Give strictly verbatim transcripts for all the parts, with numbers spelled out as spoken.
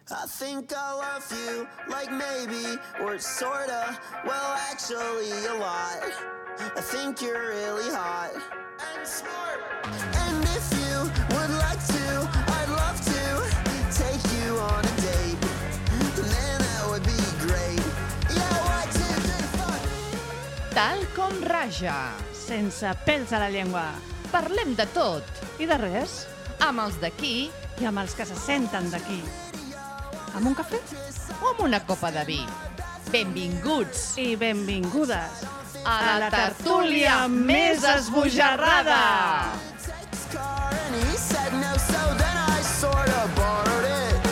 I think I love you, like maybe, or sorta, well actually a lot. I think you're really hot and smart. And if you would like to, I'd love to take you on a date. Man, that would be great. Yeah, one, two, three, four. Tal com raja. Sense pèls a la llengua. Parlem de tot. I de res. Amb els d'aquí I amb els que se senten d'aquí. Amb un cafè? o amb una copa de vi. Benvinguts I benvingudes a la tertúlia més esbojarrada. Car and he said no, so then I sorta borrowed it.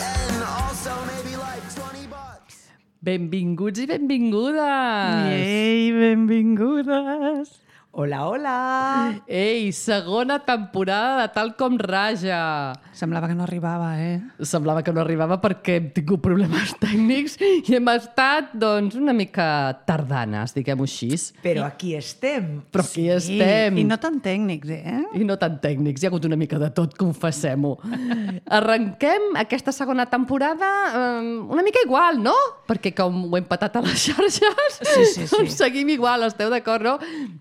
And also maybe like twenty bucks. Benvinguts i benvingudes. Ei, benvingudes. Hola, hola! Ei, segona temporada de Tal com raja. Semblava que no arribava, eh? Semblava que no arribava perquè hem tingut problemes tècnics i hem estat, doncs, una mica tardanes, diguem-ho així. Però aquí estem. Però aquí estem. I no tan tècnics, eh? I no tan tècnics, hi ha hagut una mica de tot, confessem-ho. Arrenquem aquesta segona temporada eh, una mica igual, no? Perquè com ho hem patat a les xarxes, Sí, sí, sí. doncs seguim igual, esteu d'acord, no?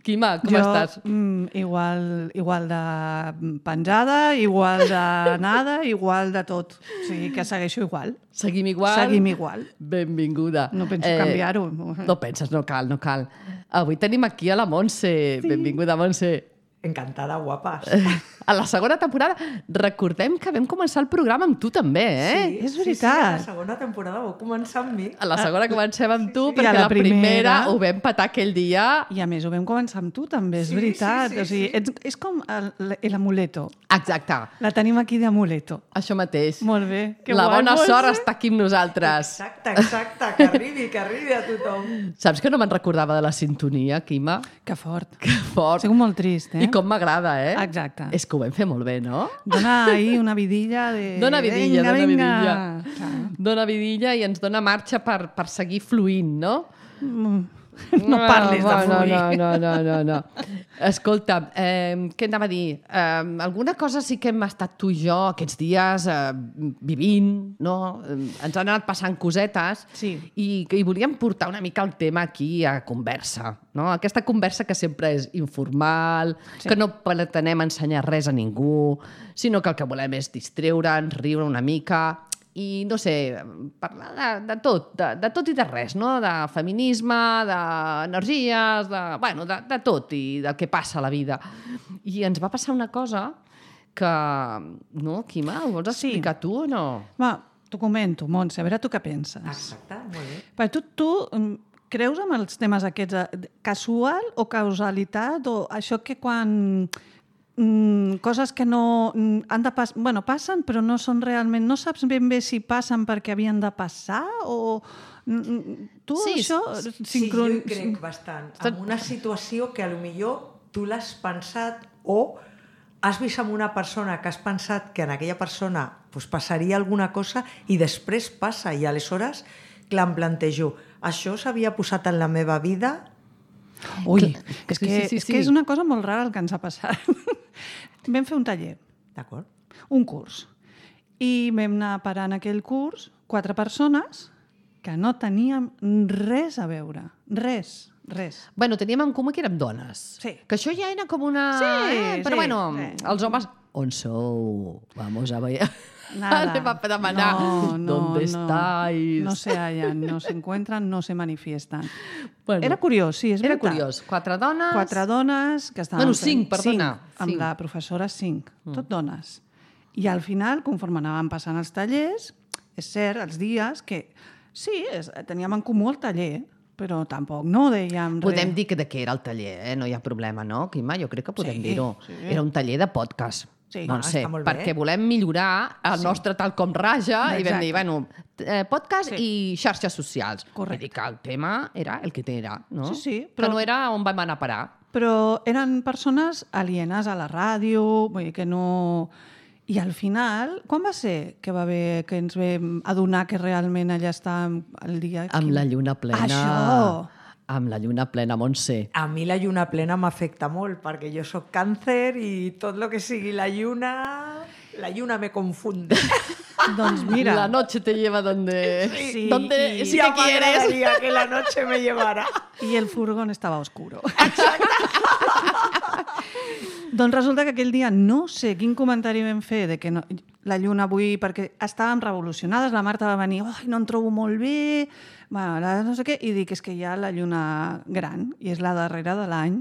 Quima, com jo, estàs? Mm, igual, igual de penjada, igual de nada, igual de tot. O sigui, que segueixo igual. Seguim igual? Seguim igual. Benvinguda. No penso canviar-ho. No penses, no cal, no cal. Avui tenim aquí a la Montse. Sí. Benvinguda, Montse. Encantada, guapes. A la segona temporada, recordem que vam començar el programa amb tu també, eh? Sí, és sí, sí, veritat. la segona temporada vau començar amb mi. A la segona comencem amb tu, sí. perquè I a la la primera, primera ho vam patar aquell dia. I a més ho vam començar amb tu també, és Sí, veritat. sí, sí, o sigui, sí. ets, és com el- l'amuleto. Exacte, La tenim aquí d'amuleto. això mateix. Molt bé. Que la guai, bona Montse. sort està aquí amb nosaltres. Exacte, exacte, que arribi, que arribi a tothom. Saps que no me'n recordava de la sintonia, Quima? Que fort. Que fort. Soc molt trist, eh? I com m'agrada, eh? Exacte. És que ho vam fer molt bé, no? Dona ahí una vidilla de... Dona vidilla, venga, dona venga. vidilla. Clar. Dona vidilla i ens dona marxa per, per seguir fluint, no? No parlis de no, fluir. No, no, no, no, no. Escolta, eh, què anava a dir? Eh, alguna cosa sí que hem estat tu i jo aquests dies eh, vivint, no? Eh, ens han anat passant cosetes Sí. i, i volíem portar una mica el tema aquí a conversa, no? Aquesta conversa que sempre és informal, sí. que no pretenem ensenyar res a ningú, sinó que el que volem és distreure'ns, riure una mica i, no sé, parlar de, de tot, de, de tot i de res, no? De feminisme, d'energies, de, bueno, de, de tot i del que passa a la vida. I ens va passar una cosa que, no, Quima, ho vols explicar sí. tu o no? Va, t'ho comento, Montse, a veure tu què penses. Exacte, molt bé. Per tu, tu mm, creus en els temes aquests de casual o causalitat o això que quan... Mm, coses que no mm, han de passar, bueno, passen però no són realment, no saps ben bé si passen perquè havien de passar o mm, tu Sí, això Sí, sincron... jo hi crec bastant. En una situació que potser tu l'has pensat o has vist amb una persona que has pensat que en aquella persona pues, passaria alguna cosa i després passa i aleshores, clar, em plantejo, això s'havia posat en la meva vida? Ui, Clar, és, sí, que, sí, sí, és que sí. és una cosa molt rara el que ens ha passat. Vam fer un taller, D'acord? un curs, i vam anar a parar en aquell curs quatre persones que no teníem res a veure, res, res. Bueno, teníem en comú que érem dones. Sí. Que això ja era com una... Sí, eh, però sí, bueno, sí. els homes... On sou? Vamos a ver... Nada. Anem a demanar. No, no, ¿Dónde no. estáis? No se hallan, no se encuentran, no se manifiestan. Bueno, Era curiós, sí, és Era veritat. curiós. Quatre dones... Quatre dones que estaven... Bueno, fent- cinc, perdona. Cinc, amb Cinc. la professora cinc, tot dones. I al final, conforme anàvem passant els tallers, és cert, els dies, que sí, és, teníem en comú el taller, però tampoc no dèiem res. Podem dir que de què era el taller, eh? No hi ha problema, no, Quima? Jo crec que podem Sí, dir-ho. sí. Era un taller de podcast. Sí. Doncs Ah, sé, està molt bé. perquè volem millorar el Sí. nostre tal com raja i vam Exacte. dir, bueno, eh, podcast Sí. i xarxes socials. Correcte. Vull dir que el tema era el que era, no? Sí, sí, Però... però- Que no era on vam anar a parar. Però eren persones alienes a la ràdio, vull dir que no... I al final, quan va ser que va haver que ens vam adonar que realment allà estàvem el dia... Amb la lluna plena. Això! Amb la lluna plena, Montse. A mi la lluna plena m'afecta molt, perquè jo sóc càncer i tot el que sigui la lluna... La lluna me confunde. Doncs mira... La noche te lleva donde... Sí, donde i- sí Ya que quieres. m'agradaria que la noche me llevara. I el furgón estava oscuro. Doncs resulta que aquell dia no sé quin comentari vam fer de que no, la lluna avui, perquè estàvem revolucionades, la Marta va venir, ai, no em trobo molt bé, bueno, la, no sé què, i dic, és que hi ha la lluna gran, i és la darrera de l'any.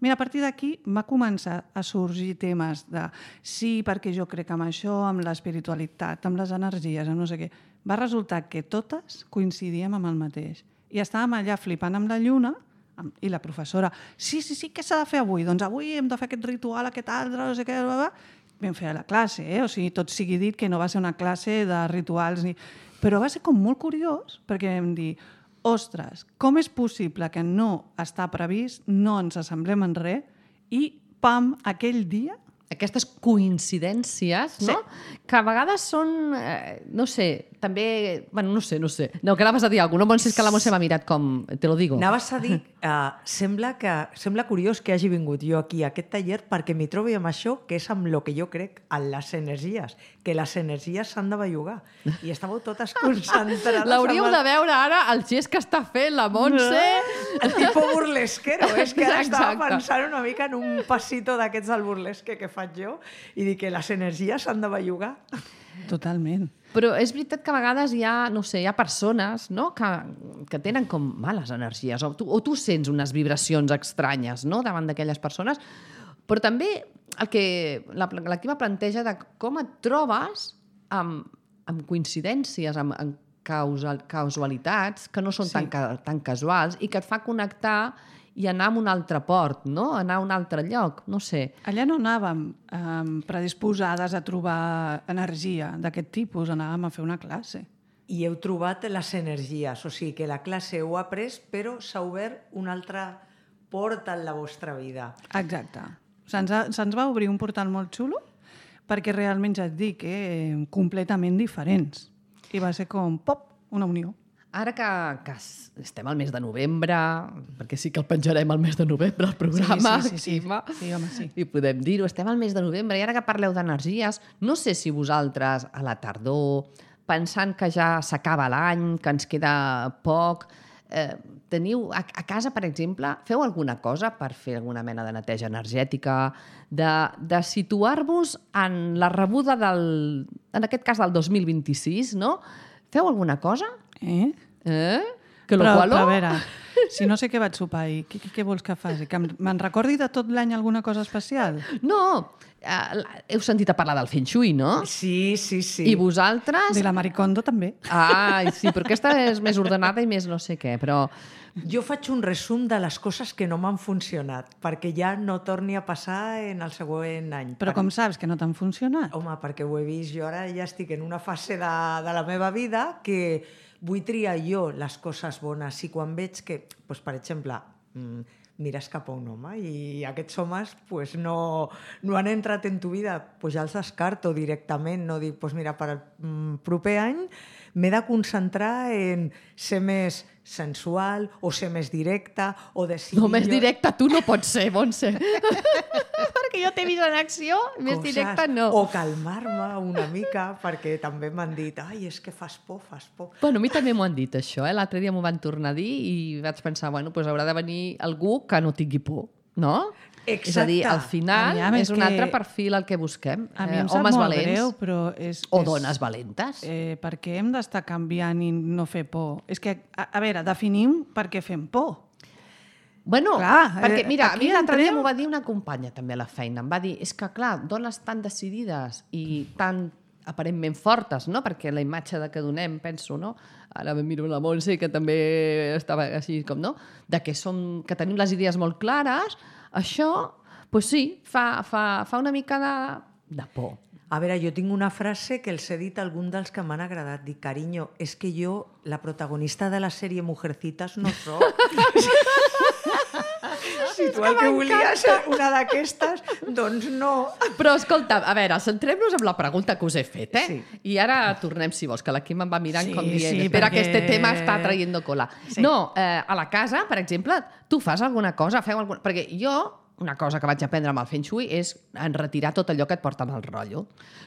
Mira, a partir d'aquí va començar a sorgir temes de sí, perquè jo crec amb això, amb l'espiritualitat, amb les energies, amb no sé què. Va resultar que totes coincidíem amb el mateix. I estàvem allà flipant amb la lluna, i la professora, sí, sí, sí, què s'ha de fer avui? Doncs avui hem de fer aquest ritual, aquest altre, no sé què, bla, bla. Vam fer a la classe, eh? O sigui, tot sigui dit que no va ser una classe de rituals, ni... però va ser com molt curiós, perquè vam dir, ostres, com és possible que no està previst, no ens assemblem en res, i pam, aquell dia... Aquestes coincidències, no? Sí. Que a vegades són, eh, no sé, també... Bueno, no sé, no sé. No, que anaves a dir alguna cosa. No, Montse, és que la Montse m'ha mirat com... Te lo digo. Anaves a dir, uh, sembla, que, sembla curiós que hagi vingut jo aquí a aquest taller perquè m'hi trobo amb això, que és amb el que jo crec, en les energies, que les energies s'han de bellugar. I estàveu totes concentrades... L'hauríeu amb de veure ara, el gest que està fent la Montse. El tipus burlesquero. És que ara estava Exacte. pensant una mica en un passito d'aquests del burlesque que faig jo i dic que les energies s'han de bellugar. Totalment. Però és veritat que a vegades hi ha, no sé, hi ha persones, no?, que, que tenen com males energies, o tu, o tu sents unes vibracions estranyes, no?, davant d'aquelles persones, però també el que la, la Quima planteja de com et trobes amb, amb coincidències, amb, amb causal, causalitats que no són Sí. tan, ca, tan casuals i que et fa connectar i anar a un altre port, no?, anar a un altre lloc, no sé. Allà no anàvem um, predisposades a trobar energia d'aquest tipus, anàvem a fer una classe. I heu trobat les energies, o sigui que la classe heu après, però s'ha obert una altra porta en la vostra vida. Exacte. Se'ns ha- se'ns va obrir un portal molt xulo perquè realment, ja et dic, eh, completament diferents. I va ser com, pop, una unió. Ara que, que s- estem al mes de novembre, perquè sí que el penjarem al mes de novembre, el programa, Sí, sí, sí, sí. Quima, Sí, home, sí. i podem dir-ho, estem al mes de novembre, i ara que parleu d'energies, no sé si vosaltres a la tardor, pensant que ja s'acaba l'any, que ens queda poc, eh, teniu a, a casa, per exemple, feu alguna cosa per fer alguna mena de neteja energètica, de, de situar-vos en la rebuda del, en aquest cas del dos mil vint-i-sis, no? Feu alguna cosa? Eh? Eh? Que lo però, qualo? però a veure, si no sé què vaig sopar i què, què, què vols que faci? Que em- me'n recordi de tot l'any alguna cosa especial? No, eh, heu sentit a parlar del Feng Shui, no? Sí, sí, sí. I vosaltres... I la Maricondo també. Ai, sí, però aquesta és més ordenada i més no sé què, però... Jo faig un resum de les coses que no m'han funcionat, perquè ja no torni a passar en el següent any. Però Per- com saps que no t'han funcionat? Home, perquè ho he vist, jo ara ja estic en una fase de, de la meva vida que vull triar jo les coses bones i quan veig que, doncs, per exemple, mm, mires cap a un home i aquests homes pues, no, no han entrat en tu vida, pues ja els descarto directament, no dic, pues mira, per al mm, proper any m'he de concentrar en ser més sensual o ser més directa o decidir... No, més jo- directa tu no pots ser, Montse. Perquè jo t'he vist en acció, més coses, directa no. O calmar-me una mica, perquè també m'han dit ai, és que fas por, fas por. Bueno, a mi també m'ho han dit, això. Eh? L'altre dia m'ho van tornar a dir i vaig pensar, bueno, doncs haurà de venir algú que no tingui por, no? Exacte. És a dir, al final Aviam, és és un que- altre perfil el que busquem. A mi Eh, em sap homes molt valents greu, però és... o és, dones valentes. Eh, per què hem d'estar canviant i no fer por? És que, a, a veure, definim per què fem por. Bueno, Clar, perquè, eh, mira, a aquí mi l'altre dia entrem- m'ho va dir una companya també a la feina. Em va dir, és que, clar, dones tan decidides i tan aparentment fortes, no? Perquè la imatge de que donem, penso, no? Ara me miro la Montse, que també estava així com, no? De que, som, que tenim les idees molt clares, això, doncs sí, fa, fa, fa una mica de, de por. A veure, jo tinc una frase que els he dit a algun dels que m'han agradat. Dic, carinyo, és que jo, la protagonista de la sèrie Mujercitas, no soc. Si tu el que volies ser una d'aquestes, doncs no. Però, escolta, a veure, centrem-nos en la pregunta que us he fet, eh? Sí. I ara tornem, si vols, que la Quim em va mirant Sí, com dient, sí, espera, perquè- que este tema està traient cola. Sí. No, eh, a la casa, per exemple, tu fas alguna cosa, feu alguna... Perquè jo una cosa que vaig aprendre amb el Feng Shui és en retirar tot allò que et porta mal rotllo.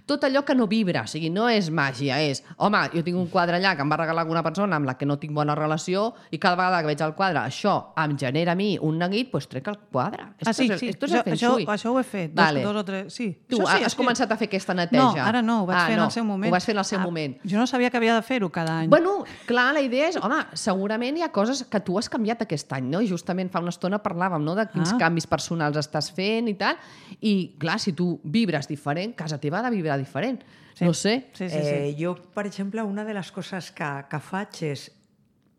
Tot allò que no vibra, o sigui, no és màgia, és, home, jo tinc un quadre allà que em va regalar alguna persona amb la que no tinc bona relació i cada vegada que veig el quadre, això em genera a mi un neguit, doncs trec el quadre. Ah, sí, esto sí, es, esto es això, el Feng això, Shui. això ho he fet, dos, Vale. dos o tres, sí. Tu Això sí, has sí. començat a fer aquesta neteja? No, ara no, ho vaig ah, fer en no. el seu moment. Ho vas fer en el seu Ah, moment. Jo no sabia que havia de fer-ho cada any. Bueno, clar, la idea és, home, segurament hi ha coses que tu has canviat aquest any, no? I justament fa una estona parlàvem, no?, de quins Ah. canvis personals estàs fent i tal. I, clar, si tu vibres diferent, casa teva ha de vibrar diferent. Sí. No sé. Sí, sí, sí. Eh, jo, per exemple, una de les coses que, que faig és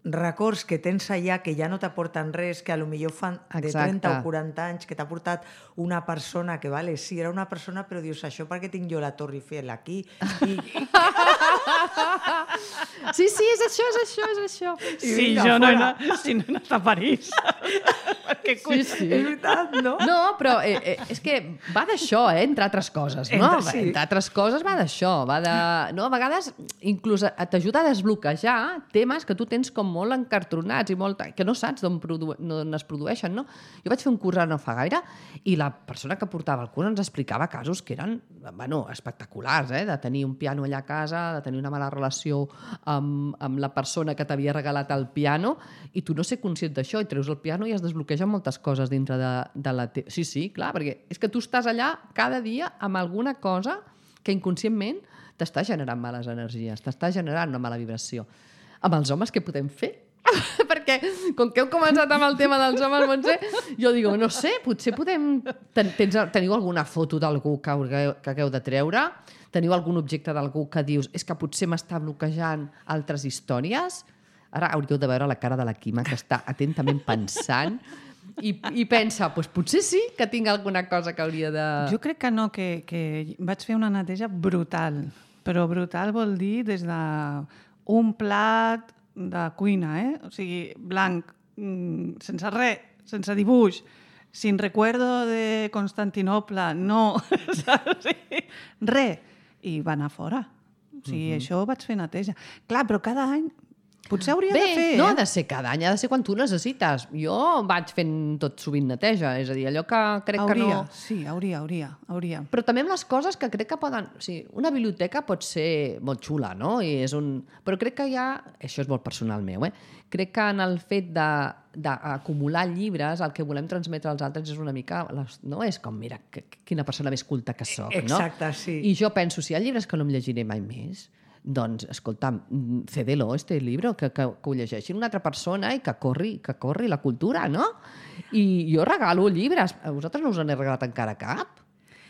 records que tens allà que ja no t'aporten res, que a lo millor fan de Exacte. trenta o quaranta anys, que t'ha portat una persona que, vale, sí, era una persona, però dius, això perquè tinc jo la Torre Eiffel aquí? I, Sí, sí, és això, és això, és això. Sí, vinga, jo no he, fora. anat, sí, no he anat a París. Què Sí, sí. és veritat, no? No, però eh, eh, és que va d'això, eh, entre altres coses, no? Entre- sí. Entre altres coses va d'això, va de... No, a vegades inclús t'ajuda a desbloquejar temes que tu tens com molt encartronats i molt... que no saps d'on produ... no, es produeixen, no? Jo vaig fer un curs ara no fa gaire i la persona que portava el curs ens explicava casos que eren, bueno, espectaculars, eh? De tenir un piano allà a casa, de tenir una mala relació amb, amb la persona que t'havia regalat el piano i tu no ser conscient d'això i treus el piano i es desbloquegen moltes coses dintre de, de la teva... Sí, sí, clar, perquè és que tu estàs allà cada dia amb alguna cosa que inconscientment t'està generant males energies, t'està generant una mala vibració. Amb els homes què podem fer? Perquè, com que heu començat amb el tema dels homes, Montse, jo digo, no sé, potser podem... Ten, tens, teniu alguna foto d'algú que, hagueu, que hagueu de treure? Teniu algun objecte d'algú que dius és que potser m'està bloquejant altres històries? Ara hauríeu de veure la cara de la Quima, que està atentament pensant i, i pensa, doncs potser sí que tinc alguna cosa que hauria de... Jo crec que no, que, que vaig fer una neteja brutal. Però brutal vol dir des de un plat de cuina, eh? O sigui, blanc, mm, sense res, sense dibuix, sin recuerdo de Constantinople, no, saps? Sí, res. I va anar fora. O sigui, uh-huh. Això ho vaig fer neteja. Clar, però cada any potser hauria Bé, de fer, no ha eh? de ser cada any, ha de ser quan tu necessites. Jo vaig fent tot sovint neteja, és a dir, allò que crec Hauria, que no... sí, hauria, hauria, hauria. Però també amb les coses que crec que poden... O sigui, una biblioteca pot ser molt xula, no? I és un... Però crec que hi ha... Això és molt personal meu, eh? Crec que en el fet de d'acumular llibres, el que volem transmetre als altres és una mica... Les, no? És com, mira, que, quina persona més culta que soc, no? Exacte, sí. I jo penso, si hi ha llibres que no em llegiré mai més, doncs, escolta'm, cédelo, este libro, que, que, que ho llegeixi una altra persona i que corri, que corri la cultura, no? I jo regalo llibres. A vosaltres no us en he regalat encara cap?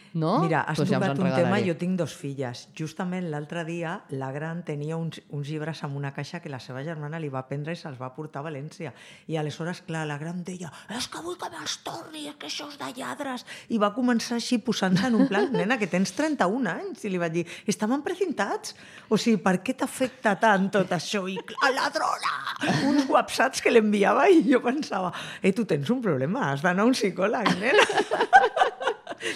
No? Mira, has Pues ja us tocat en un tema, regalaré. jo tinc dos filles. Justament l'altre dia la gran tenia uns, uns llibres amb una caixa que la seva germana li va prendre i se'ls va portar a València. I aleshores, clar, la gran deia és que vull que me'ls torni, és que això és de lladres. I va començar així posant-se en un plan, nena, que tens trenta-un anys. I li vaig dir, estaven precintats? O sigui, per què t'afecta tant tot això? I clar, ladrona! Uns whatsapps que l'enviava i jo pensava, eh, tu tens un problema, has d'anar a un psicòleg, nena.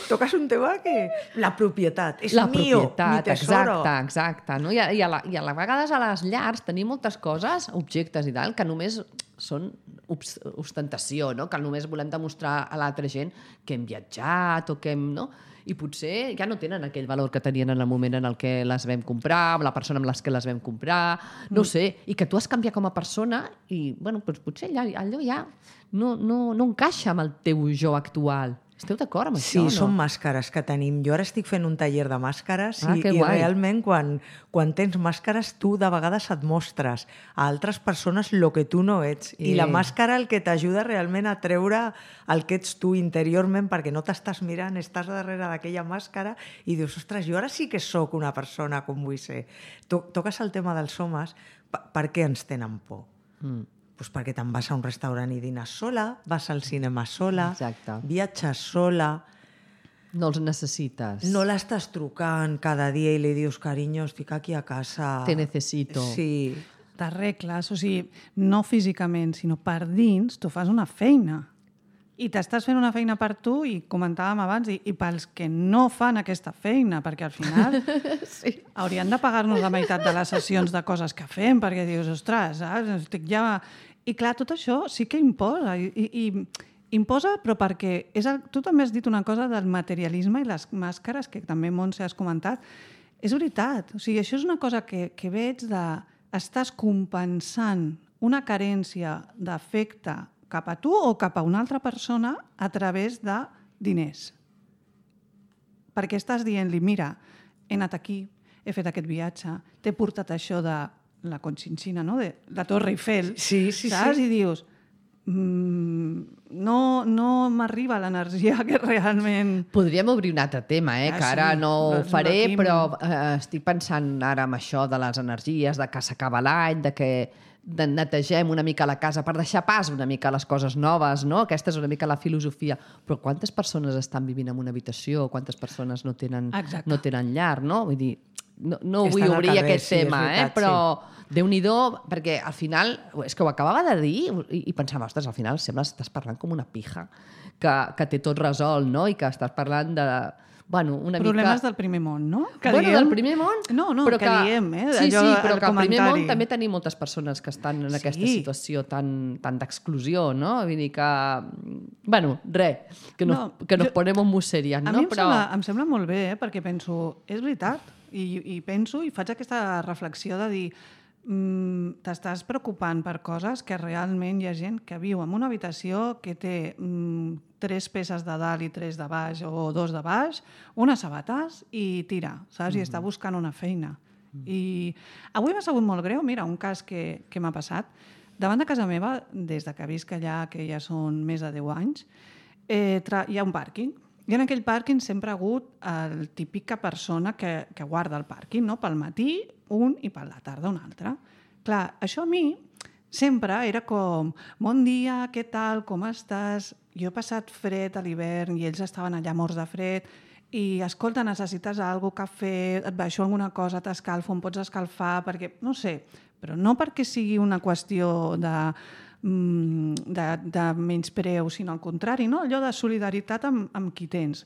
Toques un tema que... La propietat. És la mío, propietat, mi tesoro. exacte, exacte. No? I, a, i, a la, I a la vegades a les llars tenim moltes coses, objectes i tal, que només són obs- ostentació, no? Que només volem demostrar a l'altra gent que hem viatjat o que hem... No? I potser ja no tenen aquell valor que tenien en el moment en el que les vam comprar, amb la persona amb les que les vam comprar, no ho sé, i que tu has canviat com a persona i, bueno, doncs potser allò, allò ja no, no, no encaixa amb el teu jo actual. Esteu d'acord amb Sí, això, no? són màscares que tenim. Jo ara estic fent un taller de màscares Ah, i, que i guai. realment quan, quan tens màscares tu de vegades et mostres a altres persones el que tu no ets. I, I- I la màscara el que t'ajuda realment a treure el que ets tu interiorment perquè no t'estàs mirant, estàs darrere d'aquella màscara i dius, ostres, jo ara sí que sóc una persona com vull ser. To toques el tema dels homes, per, per què ens tenen por? Mm. Pues perquè te'n vas a un restaurant i dines sola, vas al cinema sola, Exacte. viatges sola, No els necessites. no l'estàs trucant cada dia i li dius, carinyo, estic aquí a casa. Te necesito. Sí. T'arregles, o sigui, no físicament, sinó per dins, tu fas una feina. I t'estàs fent una feina per tu, i comentàvem abans, i, i pels que no fan aquesta feina, perquè al final Sí. haurien de pagar-nos la meitat de les sessions de coses que fem, perquè dius, ostres, saps? Estic ja... I clar, tot això sí que imposa, i, i, imposa, però perquè... És el, tu també has dit una cosa del materialisme i les màscares, que també, Montse, has comentat. És veritat. O sigui, això és una cosa que, que veig de... Estàs compensant una carència d'afecte cap a tu o cap a una altra persona a través de diners. Perquè estàs dient-li, mira, he anat aquí, he fet aquest viatge, t'he portat això de la Conchinchina, no? de la Torre Eiffel, sí, sí, saps? Sí. I dius, mmm, no, no m'arriba l'energia que realment... Podríem obrir un altre tema, eh? Ah, que ara sí, no ho doncs faré, aquí... però eh, estic pensant ara en això de les energies, de que s'acaba l'any, de que de netegem una mica la casa per deixar pas una mica les coses noves, no? Aquesta és una mica la filosofia. Però quantes persones estan vivint en una habitació? Quantes persones no tenen, no tenen llar, no? Vull dir, no, no vull obrir carrer, aquest sí, tema, veritat, eh? Però sí. Déu-n'hi-do, perquè al final, és que ho acabava de dir i, i pensava, ostres, al final sembla que estàs parlant com una pija, que, que té tot resolt, no? I que estàs parlant de... Bueno, una Problemes mica... del primer món, no? Que bueno, diem... del primer món... No, no, però que, que diem, eh? Sí, Allò, sí, però que al primer món comentari. també tenim moltes persones que estan en Sí. aquesta situació tan, tan d'exclusió, no? Vull dir que... Bueno, res, que nos, No, que nos jo- ponemos muy serias, A no? mi em, Però... sembla, em sembla molt bé, eh? Perquè penso, és veritat, i, i penso i faig aquesta reflexió de dir mm, t'estàs preocupant per coses que realment hi ha gent que viu en una habitació que té mm, tres peces de dalt i tres de baix o dos de baix, unes sabates i tira, saps? I està buscant una feina. I avui m'ha sabut molt greu, mira, un cas que, que m'ha passat. Davant de casa meva, des de que visc allà, que ja són més de deu anys, eh, tra- hi ha un pàrquing. I en aquell pàrquing sempre ha hagut el típica persona que, que guarda el pàrquing, no? Pel matí un i per la tarda un altre. Clar, això a mi sempre era com, bon dia, què tal, com estàs? Jo he passat fred a l'hivern i ells estaven allà morts de fred i, escolta, necessites alguna cosa, cafè, et baixo alguna cosa, t'escalfo, em pots escalfar, perquè, no sé, però no perquè sigui una qüestió de, mm, de, de menyspreu, sinó al contrari, no? Allò de solidaritat amb, amb qui tens.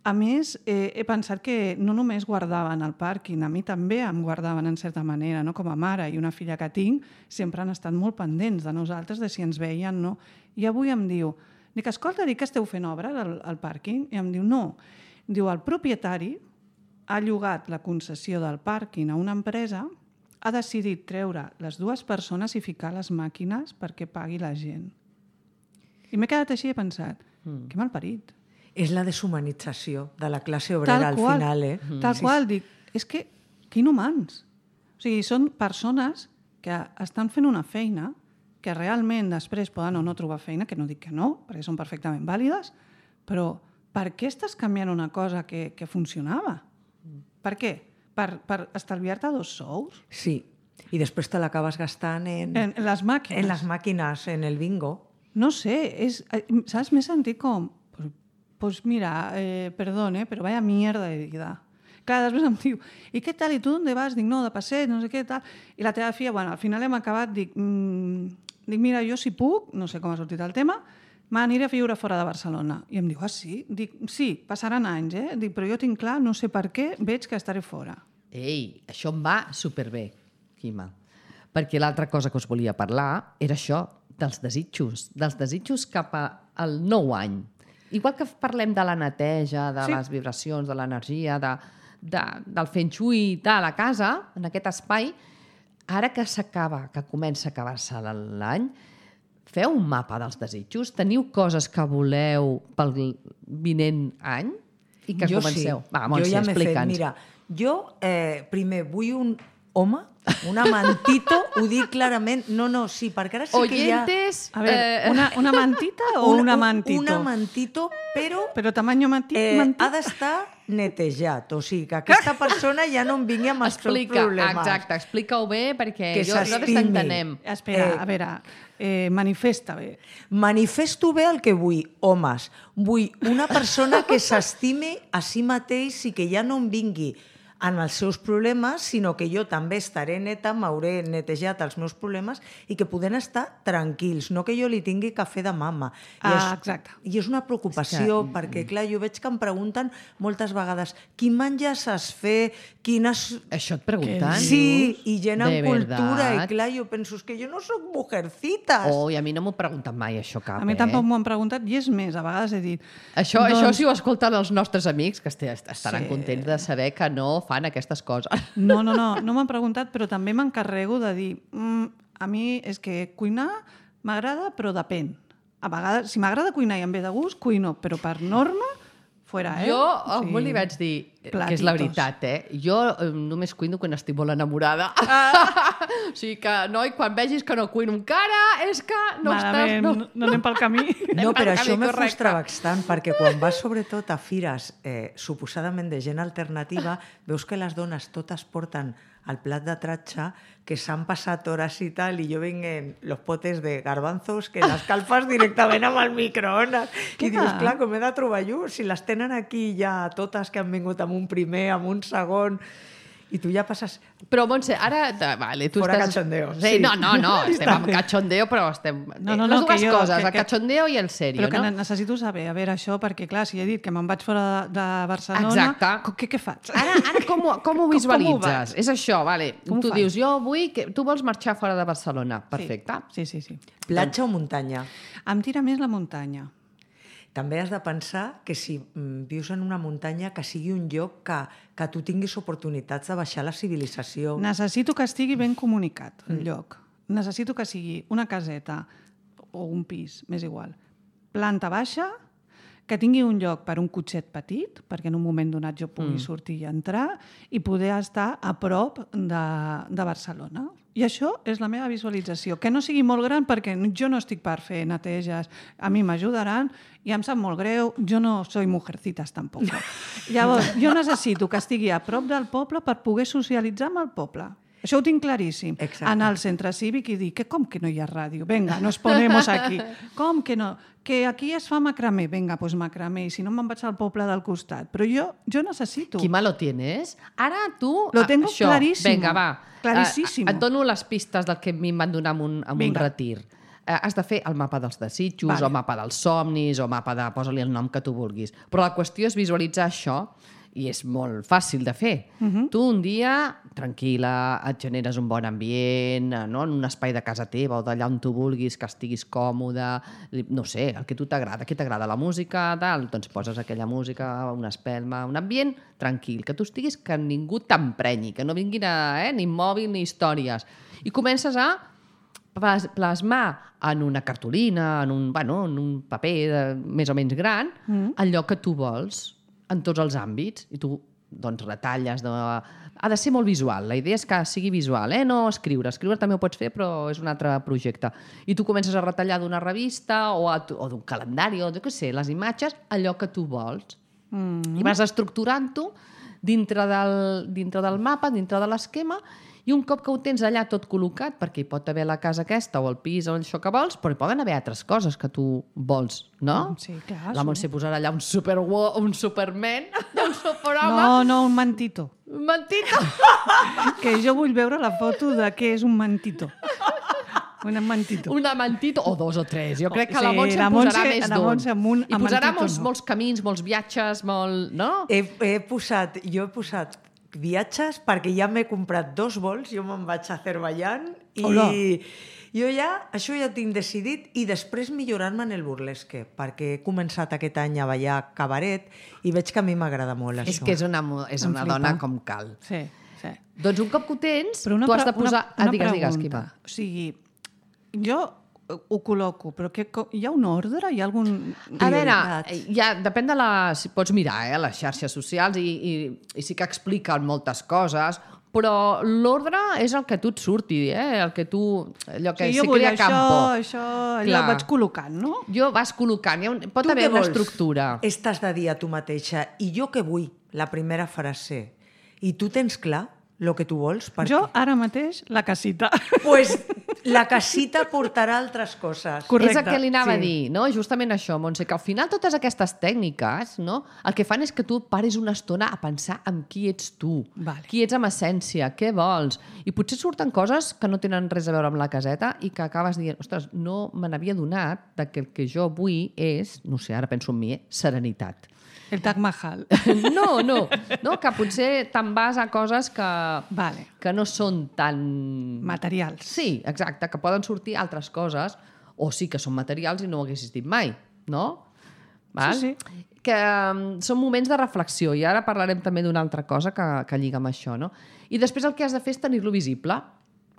A més, eh, he pensat que no només guardaven el pàrquing, a mi també em guardaven en certa manera, no? Com a mare i una filla que tinc, sempre han estat molt pendents de nosaltres, de si ens veien, no? I avui em diu, dic, escolta, dic que esteu fent obra al, al pàrquing? I em diu, no. Diu, el propietari ha llogat la concessió del pàrquing a una empresa, ha decidit treure les dues persones i ficar les màquines perquè pagui la gent. I m'he quedat així i he pensat, mm. que malparit. És la deshumanització de la classe obrera al final, eh? Tal sí. qual, dic, és que, que inhumans. O sigui, són persones que estan fent una feina que realment després poden o no trobar feina, que no dic que no, perquè són perfectament vàlides, però per què estàs canviant una cosa que, que funcionava? Per què? Per, per estalviar-te dos sous? Sí, i després te l'acabes gastant en... En, en les màquines. En les màquines, en el bingo. No sé, és, saps? M'he sentit com... Pues, pues mira, eh, perdón, eh, pero vaya mierda de vida. Clar, després em diu, i què tal, i tu on vas? Dic, no, de passeig, no sé què, tal. I la teva filla, bueno, al final hem acabat, dic, mmm, dic mira, jo si puc, no sé com ha sortit el tema, m'aniré a viure fora de Barcelona. I em diu, ah, sí? Dic, sí, passaran anys, eh? Dic, però jo tinc clar, no sé per què, veig que estaré fora. Ei, això em va superbé, Quima. Perquè l'altra cosa que us volia parlar era això, dels desitjos, dels desitjos cap al nou any. Igual que parlem de la neteja, de sí. les vibracions, de l'energia, de, de, del feng shui de la casa, en aquest espai, ara que s'acaba, que comença a acabar-se l'any, feu un mapa dels desitjos? Teniu coses que voleu pel vinent any? I que jo comenceu? Sí. Va, Montse, jo ja m'he fet, mira, jo eh, primer vull un home, un amantito, ho dic clarament, no, no, sí, perquè ara sí Oyentes, que A ver, Eh, una, una mantita o un, un amantito? Un amantito, però, Però tamaño manti, eh, mantita? ha d'estar netejat, o sigui, que aquesta persona ja no em vingui amb els seus explica, problemes. exacte, explica-ho bé, perquè Que jo, nosaltres s'estimi. t'entenem. Espera, Eh, a veure, eh, manifesta bé. Manifesto bé el que vull, homes. Vull una persona que s'estime a si mateix i que ja no em vingui en els seus problemes, sinó que jo també estaré neta, m'hauré netejat els meus problemes i que poden estar tranquils, no que jo li tingui que fer de mama. I Ah, és, exacte. I és una preocupació, és que... perquè, clar, jo veig que em pregunten moltes vegades quin menjar saps fer, quines... Això et pregunten? Sí, i gent De en cultura, verdad? i clar, jo penso, és que jo no sóc mujercitas. Oh, i a mi no m'ho pregunten mai, això cap, A mi eh? tampoc m'ho han preguntat, i és més, a vegades he dit... Això, doncs, això si ho escolten els nostres amics, que este- estaran Sí. contents de saber que no fan aquestes coses. No, no, no, no m'han preguntat, però també m'encarrego de dir mm, a mi és que cuinar m'agrada, però depèn. A vegades, si m'agrada cuinar i em ve de gust, cuino, però per norma, fora, eh? Jo algú li vaig dir, que és la veritat, eh? Jo eh, només cuino quan estic molt enamorada. Ah. O sigui que, noi, quan vegis que no cuino encara, és que no Malament, estàs... no, no anem pel camí. No, però pel això camí me correcte. frustra bastant, perquè quan vas sobretot a fires eh, suposadament de gent alternativa, veus que les dones totes porten el plat de tratxa, que s'han passat hores i tal, i jo venguen los potes de garbanzos que les calfes directament amb el microones. I dius, clar, com he de trobar jo? Si les tenen aquí ja totes que han vingut amb un primer, amb un segon... I tu ja passes... Però, Montse, ara... de- Vale, tu Fora estàs... cachondeo, Sí, sí. no, no, no, estem amb cachondeo, però estem... No, no, Les no, dues que jo- coses, que- el que- cachondeo i el serio, Però que no? necessito saber, a veure, això, perquè, clar, si he dit que me'n vaig fora de, de Barcelona... Exacte. co- Què, què faig? Ara, ara com, ho, com ho Com- visualitzes? com ho És això, vale. Com ho tu faig? dius, jo vull... Que... Tu vols marxar fora de Barcelona. Perfecte. Sí, sí, sí. Platja o muntanya? Em tira més la muntanya. També has de pensar que si mm, vius en una muntanya, que sigui un lloc que, que tu tinguis oportunitats de baixar la civilització. Necessito que estigui ben comunicat, el lloc. Necessito que sigui una caseta o un pis, m'és igual. Planta baixa, que tingui un lloc per un cotxet petit, perquè en un moment donat jo pugui mm. sortir i entrar, i poder estar a prop de, de Barcelona. I això és la meva visualització. Que no sigui molt gran, perquè jo no estic per fer neteges, a mi m'ajudaran, i em sap molt greu, jo no soy mujercitas tampoc. Llavors, jo necessito que estigui a prop del poble per poder socialitzar amb el poble. Això ho tinc claríssim. Exacte. Anar al centre cívic i dir que com que no hi ha ràdio? Vinga, nos ponemos aquí. Com que no? Que aquí es fa macramé. Vinga, doncs pues macramé. I si no me'n vaig al poble del costat. Però jo, jo necessito. Qui malo tienes? Ara tu... Lo tengo això, clarísimo. Vinga, va. Claríssimo. Eh, et dono les pistes del que a mi em van donar en un, en un Vinga. retir. Eh, has de fer el mapa dels desitjos, Vale. o mapa dels somnis, o mapa de... Posa-li el nom que tu vulguis. Però la qüestió és visualitzar això, i és molt fàcil de fer. Uh -huh. Tu un dia, tranquil·la, et generes un bon ambient, eh, no? En un espai de casa teva o d'allà on tu vulguis, que estiguis còmode, no sé, el que tu t'agrada. Què t'agrada? La música, tal? Doncs poses aquella música, una espelma, un ambient tranquil, que tu estiguis, que ningú t'emprenyi, que no vinguin a, eh, ni mòbil ni històries. I comences a plas- plasmar en una cartolina, en un, bueno, en un paper de, més o menys gran, mm. allò que tu vols en tots els àmbits, i tu doncs retalles de... ha de ser molt visual, la idea és que sigui visual, eh? No escriure, escriure també ho pots fer però és un altre projecte, i tu comences a retallar d'una revista o, a, o d'un calendari o de què sé, les imatges, allò que tu vols, mm. i vas estructurant-ho dintre del, dintre del mapa, dintre de l'esquema, i un cop que ho tens allà tot col·locat, perquè hi pot haver la casa aquesta o el pis o això que vols, però hi poden haver altres coses que tu vols, no? Sí, clar. La Montse posarà allà un, super, un superman, un superhome. No, no, un mantito. Un mantito. Que jo vull veure la foto de què és un mantito. Un mantito. Una mantito, o dos o tres. Jo crec que Sí, la Montse la en posarà Montse- més la d'un. Montse amb un- I amb posarà mantito molts, no. molts camins, molts viatges, molt... No? He, he posat, jo he posat viatges perquè ja m'he comprat dos vols, jo me'n vaig a Azerbaiyán i Hola. jo ja, això ja ho tinc decidit, i després millorar-me en el burlesque, perquè he començat aquest any a ballar cabaret i veig que a mi m'agrada molt És això. que és una, mo- és Em una flipa. dona com cal. Sí, sí. Doncs un cop que ho tens, Però una, tu has de pre- posar... una, una ah, digues, digues, pregunta. Quima. O sigui, jo ho col·loco, però que, hi ha un ordre? Hi ha algun... A veure, Prioritats. ja, depèn de la... Si pots mirar, eh, les xarxes socials i, i, i sí que expliquen moltes coses, però l'ordre és el que tu et surti, eh? El que tu... Allò que Sí, se jo vull crea això, campo. això, allò Clar. ho vaig col·locant, no? Jo vas col·locant, hi ha un, pot Tu haver què una vols? estructura. Estàs de dir a tu mateixa, i jo què vull? La primera frase. I tu tens clar el que tu vols. Perquè... Jo, ara mateix, la casita. Pues la casita portarà altres coses. Correcte. És el que li anava Sí. a dir, no? Justament això, Montse, que al final totes aquestes tècniques, no? El que fan és que tu paris una estona a pensar en qui ets tu, Vale. qui ets amb essència, què vols. I potser surten coses que no tenen res a veure amb la caseta i que acabes dient, ostres, no me n'havia donat de que el que jo vull és, no sé, ara penso en mi, eh? Serenitat. El Taj Mahal. No, no, no, que potser te'n vas a coses que, Vale. que no són tan... Materials. Sí, exacte, que poden sortir altres coses, o sí que són materials i no ho haguessis dit mai, no? Val? Sí, sí. Que um, són moments de reflexió, i ara parlarem també d'una altra cosa que, que lliga amb això, no? I després el que has de fer és tenir-lo visible,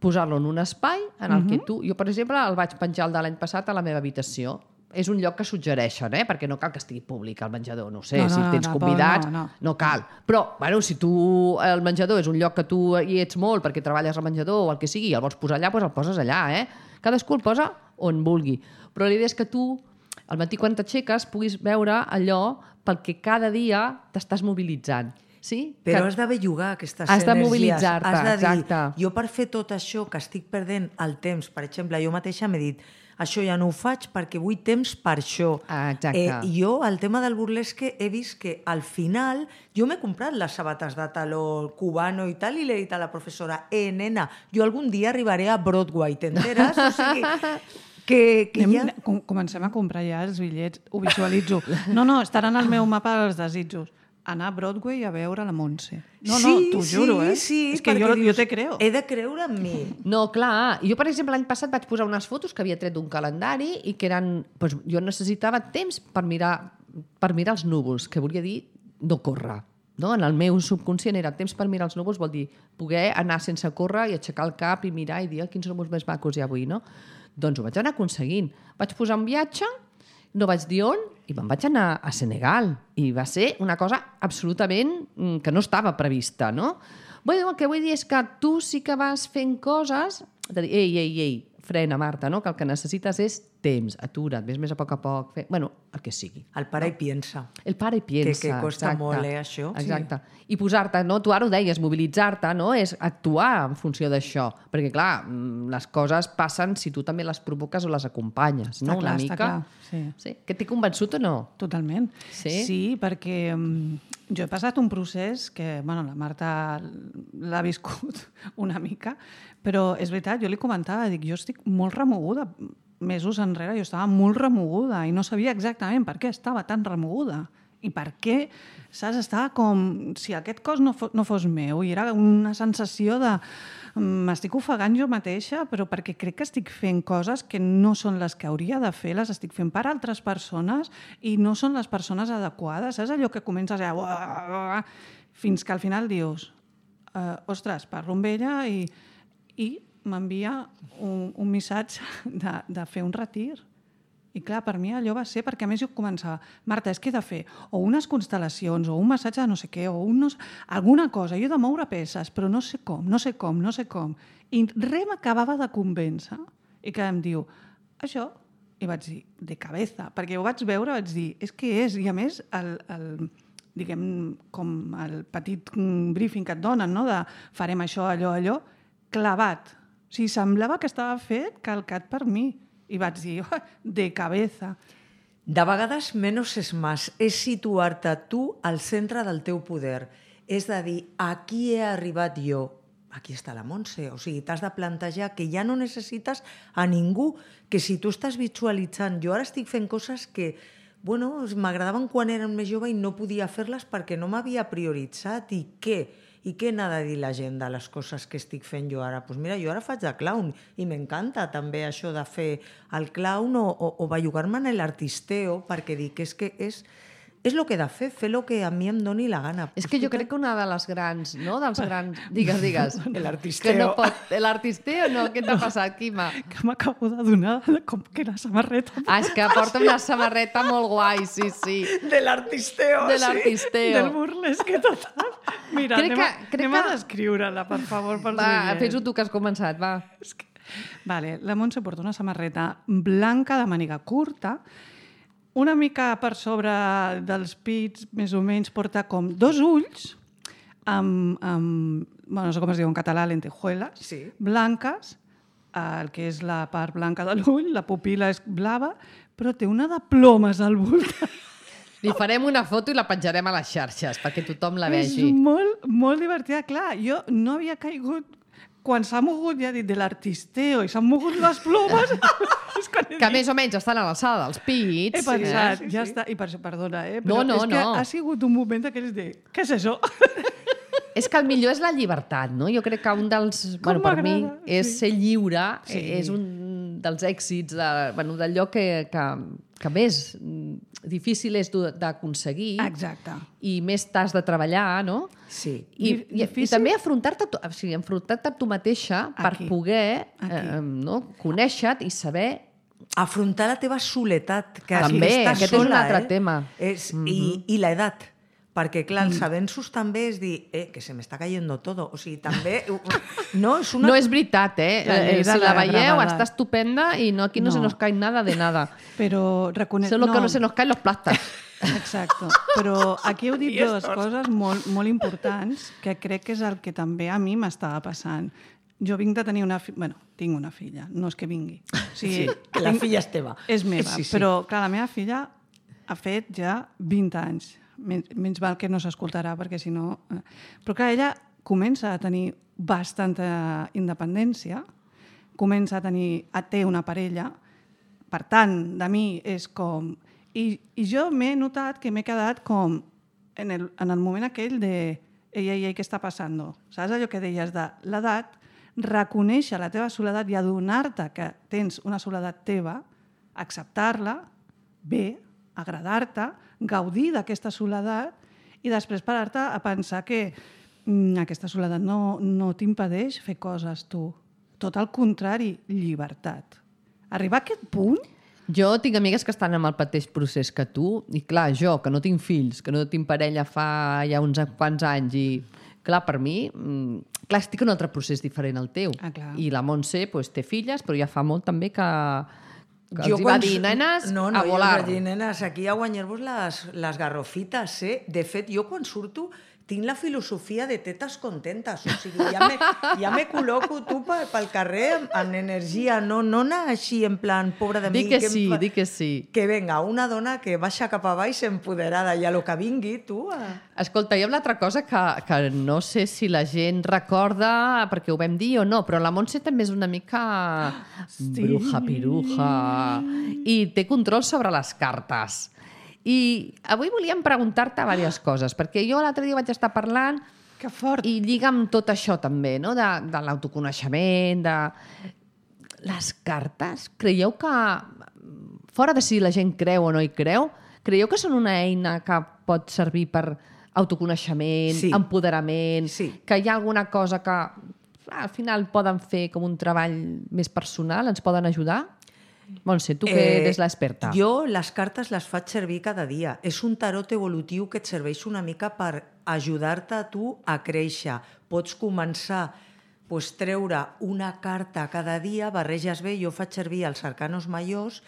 posar-lo en un espai en el uh -huh. que tu... Jo, per exemple, el vaig penjar el de l'any passat a la meva habitació. És un lloc que suggereixen, eh? Perquè no cal que estigui públic el menjador, no ho sé, No, no, si tens no, convidats, no, no. no cal. Però, bueno, si tu, el menjador és un lloc que tu hi ets molt perquè treballes al menjador o el que sigui, i el vols posar allà, doncs el poses allà, eh? Cadascú el posa on vulgui. Però la idea és que tu, al matí quan t'aixeques, puguis veure allò pel que cada dia t'estàs mobilitzant. Sí? Però que... has de bellugar aquestes Has de energies. mobilitzar-te, Has de dir, exacte. jo per fer tot això que estic perdent el temps, per exemple, jo mateixa m'he dit, això ja no ho faig perquè vull temps per això. Ah, exacte. Eh, jo, el tema del burlesque, he vist que al final jo m'he comprat les sabates de taló cubano i tal, i l'he dit a la professora, eh, nena, jo algun dia arribaré a Broadway, t'enteres? O sigui, que, que Anem, ja... com- Comencem a comprar ja els bitllets, ho visualitzo. No, no, estaran al meu mapa dels desitjos. Anar a Broadway a veure la Montse. No, no, sí, t'ho sí, juro, eh? Sí, és que perquè jo, dius, jo te creo. He de creure en mi. No, clar. Jo, per exemple, l'any passat vaig posar unes fotos que havia tret d'un calendari i que eren... Doncs jo necessitava temps per mirar, per mirar els núvols, que volia dir no córrer. No? En el meu subconscient era temps per mirar els núvols, vol dir poder anar sense córrer i aixecar el cap i mirar i dir oh, quins núvols més macos hi ha avui, no? Doncs ho vaig anar aconseguint. Vaig posar un viatge, no vaig dir on, i me'n vaig anar a Senegal. I va ser una cosa absolutament mm, que no estava prevista, no? Bueno, el que vull dir és que tu sí que vas fent coses de dir, ei, ei, ei, frena, Marta, no? Que el que necessites és temps, atura't, ves més a poc a poc, fer... bueno, el que sigui. El pare hi piensa. El pare hi piensa. Que- que costa exacte. molt, eh, això? Sí. Exacte. I posar-te, no? Tu ara ho deies, mobilitzar-te, no? És actuar en funció d'això. Perquè, clar, mm, les coses passen si tu també les provoques o les acompanyes, no? Està clar, Una està mica. clar, sí. Sí. Que t'he convençut o no? Totalment. Sí? Sí, perquè um, jo he passat un procés que, bueno, la Marta l'ha viscut una mica, però és veritat, jo li comentava, dic, jo estic molt remoguda. Mesos enrere jo estava molt remoguda i no sabia exactament per què estava tan remoguda i per què, saps, estava com si aquest cos no, fos, no fos meu, i era una sensació de m'estic ofegant jo mateixa, però perquè crec que estic fent coses que no són les que hauria de fer, les estic fent per altres persones i no són les persones adequades. Saps allò que comences a... Uah, fins que al final dius uh, ostres, parlo amb ella i, i m'envia un, un missatge de, de fer un retir. I clar, per mi allò va ser, perquè a més jo començava, Marta, és que he de fer o unes constel·lacions, o un massatge de no sé què, o un no sé, alguna cosa, jo he de moure peces, però no sé com, no sé com, no sé com. I res m'acabava de convèncer. I que em diu, això, i vaig dir, de cabeza, perquè ho vaig veure, vaig dir, és que és, i a més, el, el, diguem, com el petit briefing que et donen, no?, de farem això, allò, allò, clavat. O sigui, semblava que estava fet calcat per mi. I vaig dir, oh, de cabeza. De vegades, menos és más. És situar-te tu al centre del teu poder. És de dir, aquí he arribat jo. Aquí està la Montse. O sigui, t'has de plantejar que ja no necessites a ningú, que si tu estàs visualitzant... Jo ara estic fent coses que, bueno, m'agradaven quan era més jove i no podia fer-les perquè no m'havia prioritzat. I què? I què n'ha de dir la gent de les coses que estic fent jo ara? Doncs pues mira, jo ara faig de clown i m'encanta també això de fer el clown o, o, o bellugar-me en l'artisteo, perquè dic és que és, és el que he de fer, fer el que a mi em doni la gana. És que jo crec que una de les grans, no?, dels grans... Digues, digues. L'artisteo. Que no pot... L'artisteo no? Què t'ha passat, Quima? Que m'acabo de donar com que la samarreta... Ah, és que porta una samarreta molt guai, sí, sí. De l'artisteo, De sí. l'artisteo. Del burlesque total. Mira, Crec anem, a, que- crec anem a que- descriure-la, per favor, pels Va, oients. fes-ho tu que has començat, va. És que... Vale, la Montse porta una samarreta blanca de màniga curta, una mica per sobre dels pits, més o menys, porta com dos ulls amb, amb bueno, no sé com es diu en català, lentejuelas, Sí. blanques, el que és la part blanca de l'ull, la pupil·la és blava, però té una de plomes al voltant. Li farem una foto i la penjarem a les xarxes perquè tothom la És vegi. molt, molt divertida. Clar, jo no havia caigut... Quan s'ha mogut, ja he dit, de l'artisteo i s'han mogut les plomes... és quan he Que dit, més o menys estan a l'alçada dels pits. he pensat, sí, ja sí. està. I per això, perdona, eh? No, Però no, és que no. ha sigut un moment d'aquells de... Què és això? És que el millor és la llibertat, no? Jo crec que un dels... Com Bueno, per mi m'agrada, és sí. ser lliure, Sí. és un dels èxits, de, bueno, d'allò que, que, que més difícil és d'u- d'aconseguir Exacte. i més t'has de treballar, no? Sí. I, Di- i, i difícil? també afrontar-te tu- o sigui, enfrontar-te a tu mateixa per Aquí. poder Aquí. eh, no? conèixer-te i saber Afrontar la teva soledat, que També, estàs aquest és un sola, altre eh? tema. És, i, I l'edat. Perquè, clar, els avenços també és dir, eh, que se m'està cayendo todo. O sigui, també... No, és una... No és veritat, eh? La llei Eh, de Si la la veieu, gravetat. està estupenda i no, aquí no, No. se nos cae nada de nada. Però reconec... Solo que no se nos caen los plastas. Exacte. Però aquí heu dit dues coses molt, molt importants que crec que és el que també a mi m'estava passant. Jo vinc de tenir una filla... Bueno, tinc una filla, no és que vingui. O sigui, Sí, que la filla és teva. És meva, Sí, sí. però clar, la meva filla ha fet ja vint anys. Menys, menys val que no s'escoltarà, perquè si no... eh. Però clar, ella comença a tenir bastanta independència, comença a tenir... a té una parella, per tant, de mi és com... I, i jo m'he notat que m'he quedat com en el, en el moment aquell de ei, ei, ei, què està passant? Saps allò que deies de l'edat? Reconèixer la teva soledat i adonar-te que tens una soledat teva, acceptar-la, bé, agradar-te, gaudir d'aquesta soledat i després parar-te a pensar que mm, aquesta soledat no, no t'impedeix fer coses tu. Tot el contrari, llibertat. Arribar a aquest punt... Jo tinc amigues que estan en el mateix procés que tu i clar, jo, que no tinc fills, que no tinc parella fa ja uns quants anys i clar, per mi, mm, clar, estic en un altre procés diferent al teu. Ah, clar. I la Montse pues, té filles, però ja fa molt també que, que Jo els hi va quan- dir, nenes, no, no, a jo volar. vaig dir, nenes, aquí a guanyar-vos les, les garrofites, eh? De fet, jo quan surto tinc la filosofia de tetes contentes, o sigui, ja me, ja me col·loco tu pel, pel carrer amb, amb energia, no, no anar així en plan, pobra de mi. Di que em sí, fa- di que sí. Que venga, una dona que baixa cap a baix empoderada i a lo que vingui, tu... A... Escolta, hi ha una altra cosa que, que no sé si la gent recorda perquè ho vam dir o no, però la Montse també és una mica Sí. bruja piruja i té control sobre les cartes. I avui volíem preguntar-te diverses coses, perquè jo l'altre dia vaig estar parlant Que fort! i lliga amb tot això també, no? de, de l'autoconeixement, de... Les cartes, creieu que, fora de si la gent creu o no hi creu, creieu que són una eina que pot servir per autoconeixement, Sí. empoderament, Sí. que hi ha alguna cosa que al final poden fer com un treball més personal, ens poden ajudar? Montse, tu que Eh, eres l'experta. Jo les cartes les faig servir cada dia. És un tarot evolutiu que et serveix una mica per ajudar-te a tu a créixer. Pots començar pues, treure una carta cada dia, barreges bé, jo faig servir els arcanos majors,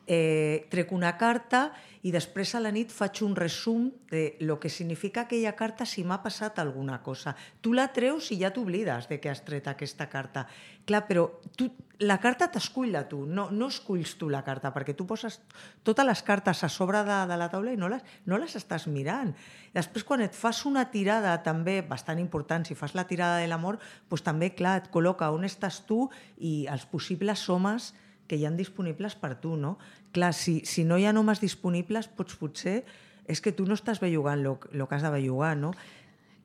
eh, trec una carta i després a la nit faig un resum de lo que significa aquella carta si m'ha passat alguna cosa. Tu la treus i ja t'oblides de que has tret aquesta carta. Clar, però tu, la carta t'escull a tu, no, no esculls tu la carta, perquè tu poses totes les cartes a sobre de, de la taula i no les, no les estàs mirant. Després, quan et fas una tirada també bastant important, si fas la tirada de l'amor, doncs també, clar, et col·loca on estàs tu i els possibles homes que hi ha disponibles per tu, no? Clar, si, si no hi ha homes disponibles, pots potser... És que tu no estàs bellugant el que has de bellugar, no?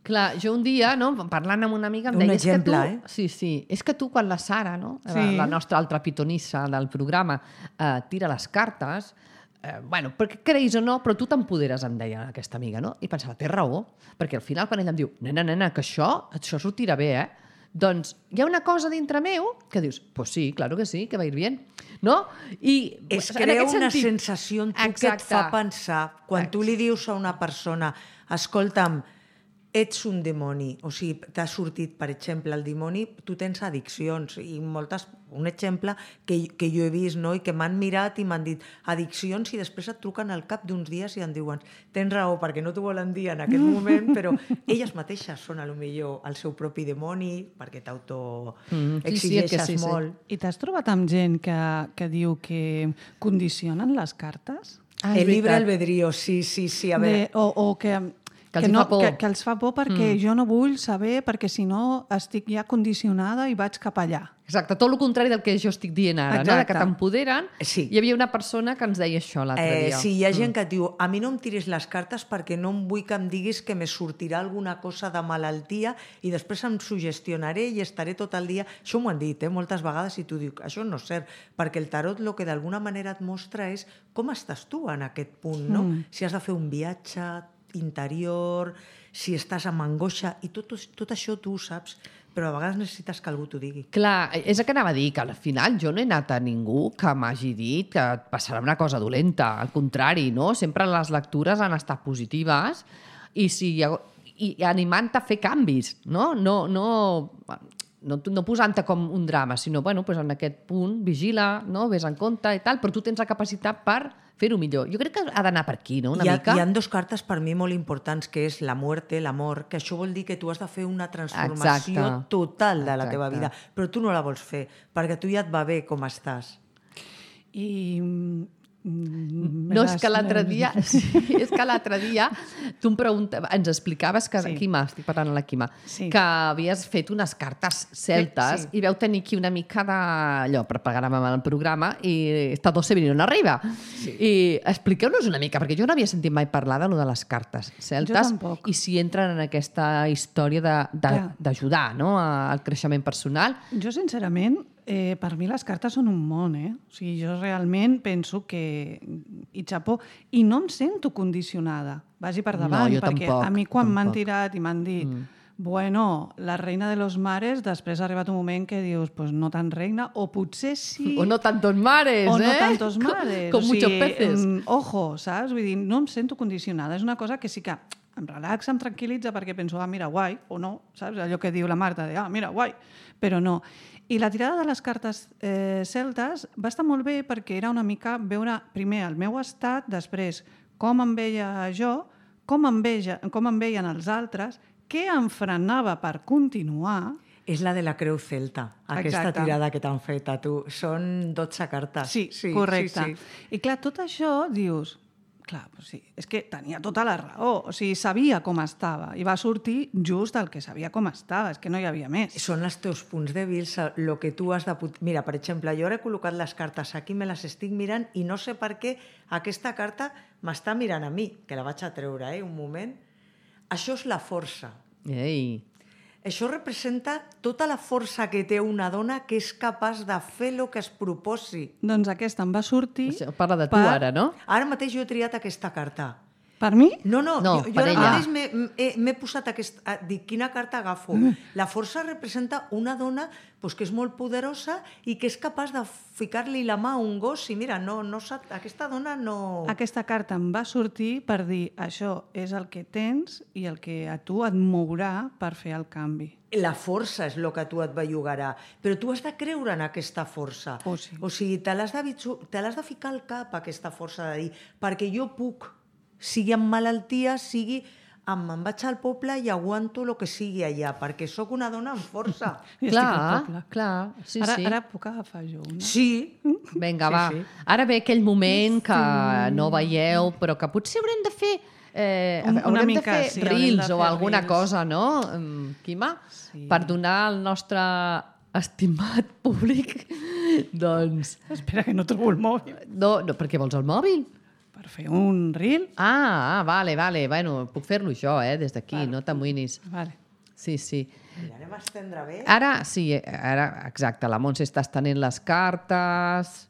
Clar, jo un dia, no, parlant amb una amiga, em Un deia... exemple, és que tu, eh? Sí, sí. És que tu, quan la Sara, no, Sí. la, la nostra altra pitonissa del programa, eh, tira les cartes, eh, bueno, perquè creïs o no, però tu t'empoderes, em deia aquesta amiga, no? I pensava, té raó, perquè al final, quan ella em diu, nena, nena, que això, això sortirà bé, eh? Doncs hi ha una cosa dintre meu que dius, pues sí, claro que sí, que va ir bien, no? I Es en crea aquest una sentit- sensació en tu que et Exacte. fa pensar. Quan tu li dius a una persona, escolta'm, ets un dimoni, o sigui, t'ha sortit, per exemple, el dimoni, tu tens addiccions, i moltes, un exemple que, que jo he vist, no?, i que m'han mirat i m'han dit addiccions, i després et truquen al cap d'uns dies i em diuen, tens raó, perquè no t'ho volen dir en aquest moment, però elles mateixes són, a lo millor, el seu propi dimoni, perquè t'autoexigeixes mm, sí, sí, sí, molt. sí. I t'has trobat amb gent que, que diu que condicionen les cartes? Ah, El libre albedrío, sí, sí, sí, a veure... De, o, o que... Que els que, hi no, fa por. que, que els fa por perquè mm. jo no vull saber, perquè si no estic ja condicionada i vaig cap allà. Exacte, tot el contrari del que jo estic dient ara, no? De que t'empoderen. Sí. Hi havia una persona que ens deia això l'altre Eh, dia. sí, hi ha gent que et diu, a mi no em tiris les cartes perquè no em vull que em diguis que me sortirà alguna cosa de malaltia i després em sugestionaré i estaré tot el dia... Això m'ho han dit, eh, moltes vegades, i tu dius, això no és cert, perquè el tarot el que d'alguna manera et mostra és com estàs tu en aquest punt, no? Mm. Si has de fer un viatge interior, si estàs amb angoixa, i tot, tot això tu ho saps, però a vegades necessites que algú t'ho digui. Clar, és el que anava a dir, que al final jo no he anat a ningú que m'hagi dit que et passarà una cosa dolenta. Al contrari, no? Sempre les lectures han estat positives i, si, i animant-te a fer canvis, no? No, no, no, no posant-te com un drama, sinó, bueno, pues en aquest punt, vigila, no? Ves en compte i tal, però tu tens la capacitat per fer-ho millor. Jo crec que ha d'anar per aquí, no? Una hi ha, mica. Hi ha dos cartes per mi molt importants, que és la muerte, l'amor, que això vol dir que tu has de fer una transformació Exacte. total de la Exacte. teva vida, però tu no la vols fer, perquè tu ja et va bé com estàs. I... No, és que l'altre dia, sí, és que l'altre dia tu em preguntaves, ens explicaves que, Sí. Quima, estic parlant a la Quima, Sí. que havies fet unes cartes celtes Sí. i veu tenir aquí una mica d'allò per pagar-me amb el programa i està dos venint arriba. Sí. I expliqueu-nos una mica, perquè jo no havia sentit mai parlar de lo de les cartes celtes Jo tampoc. i si entren en aquesta història de- de- Clar. d'ajudar, no?, al creixement personal. Jo, sincerament, eh, per mi les cartes són un món, eh? O sigui, jo realment penso que... I xapó. I no em sento condicionada. Vagi per davant, No, jo perquè tampoc, a mi quan m'han tampoc. tirat i m'han dit mm. bueno, la reina de los mares, després ha arribat un moment que dius, pues no tan reina, o potser sí... O no tantos mares, o eh? no tantos mares. Com, com o sigui, muchos peces. mm, ojo, saps? Vull dir, no em sento condicionada. És una cosa que sí que em relaxa, em tranquil·litza, perquè penso, ah, mira, guai, o no, saps? Allò que diu la Marta, de, ah, mira, guai, però no. I la tirada de les cartes eh, celtes va estar molt bé perquè era una mica veure primer el meu estat, després com em veia jo, com em, veia, com em veien els altres, què em frenava per continuar. És la de la creu celta, aquesta Exacte. tirada que t'han fet a tu. Són dotze cartes. Sí, sí correcte. Sí, sí. I clar, tot això dius... Clar, doncs sí, és que tenia tota la raó. O sigui, sabia com estava i va sortir just el que sabia com estava. És que no hi havia més. Són els teus punts dèbils, el que tu has de... Mira, per exemple, jo ara he col·locat les cartes aquí, me les estic mirant i no sé per què aquesta carta m'està mirant a mi, que la vaig a treure, eh, un moment. Això és la força. Ei. Això representa tota la força que té una dona que és capaç de fer el que es proposi. Doncs aquesta em va sortir... Això parla de tu per... ara, no? Ara mateix jo he triat aquesta carta. Per mi? No, no, No, jo, jo per ara ella. mateix m'he- he- m'he posat aquesta... Dic, quina carta agafo? La força representa una dona pues, que és molt poderosa i que és capaç de ficar-li la mà a un gos i mira, no, no sap, aquesta dona no... Aquesta carta em va sortir per dir això és el que tens i el que a tu et mourà per fer el canvi. La força és el que a tu et bellugarà, però tu has de creure en aquesta força. Oh, sí. O sigui, te l'has de, bitxu- te l'has de ficar al cap, aquesta força de dir, perquè jo puc, sigui amb malaltia, sigui amb me'n vaig al poble i aguanto el que sigui allà, perquè sóc una dona amb força. I estic al Clar, poble. clar. Sí, ara, sí. ara puc agafar jo una? Sí, Vinga, Sí, va. sí. Ara ve aquell moment que no veieu, però que potser haurem de fer... Eh, Un- una haurem mica, de fer sí, haurem de reels o fer alguna reels. cosa, no, em, Quima? Sí. Per donar al nostre estimat públic, doncs... Espera, que no trobo el mòbil. No, no, per què vols el mòbil? Per fer un reel? Ah, ah, vale, vale. Bueno, puc fer-lo jo, eh, des d'aquí, no t'amoïnis. Vale. Sí, sí. mira, anem a estendre bé. Ara, sí, ara, exacte, la Montse està estenent les cartes.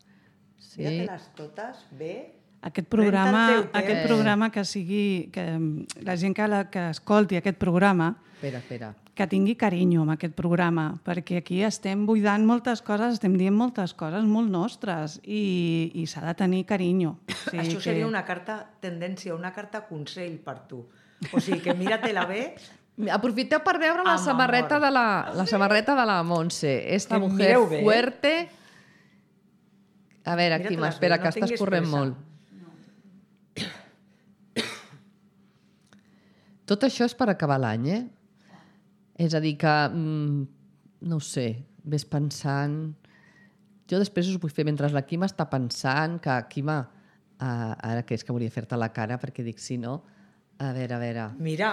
Sí. Mira-te-les totes bé. Aquest programa, Pren-te el teu aquest temps. programa que sigui... Que mm, la gent que, la, que escolti aquest programa Espera, espera. que tingui carinyo amb aquest programa, perquè aquí estem buidant moltes coses, estem dient moltes coses molt nostres i, i s'ha de tenir carinyo. O sigui Això seria una carta tendència, una carta consell per tu. O sigui que mira-te-la bé, Aprofiteu per veure la Amb samarreta amor. de la, la samarreta de la Montse. Esta Que mujer mireu bé. fuerte. A veure, Mira-te-les Quim, bé, espera, no que estàs tinguis corrent pressa. molt. Tot això és per acabar l'any, eh? És a dir, que, mm, no ho sé, ves pensant... Jo després us vull fer, mentre la Quima està pensant, que Quima, uh, ara que és que volia fer-te la cara, perquè dic, si no... A veure, a veure... Mira,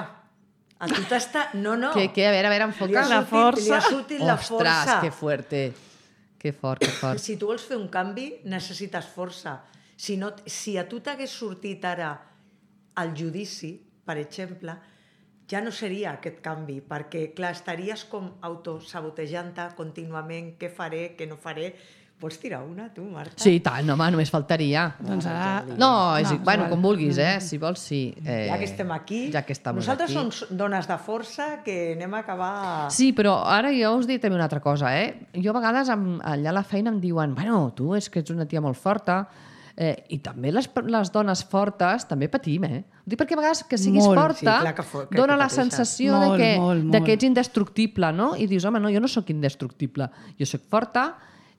a tu t'està... No, no. Què, què? A veure, a veure, Li enfoca. ha La sortit, força. Li ha sortit la Ostres, força. que fuerte. Que fort, que fort. Si tu vols fer un canvi, necessites força. Si, no, si a tu t'hagués sortit ara el judici, per exemple, ja no seria aquest canvi, perquè, clar, estaries com autosabotejant-te contínuament, què faré, què no faré... Vols tirar una, tu, Marta? Sí, i tant, home, només faltaria. Doncs ara... No, és, No, no, bueno, igual. com vulguis, eh? Si vols, sí. Eh, Ja que estem aquí, ja que estem nosaltres aquí. som dones de força que anem a acabar... Sí, però ara jo us dic també una altra cosa, eh? Jo a vegades em, allà a la feina em diuen bueno, tu és que ets una tia molt forta, eh, i també les, les dones fortes també patim, eh? Ho dic perquè a vegades que siguis Molt, forta sí, clar que fo- que- dona que la pateixes. sensació Molt, de, que, molt, de que molt. ets indestructible, no? I dius, home, no, jo no sóc indestructible, jo sóc forta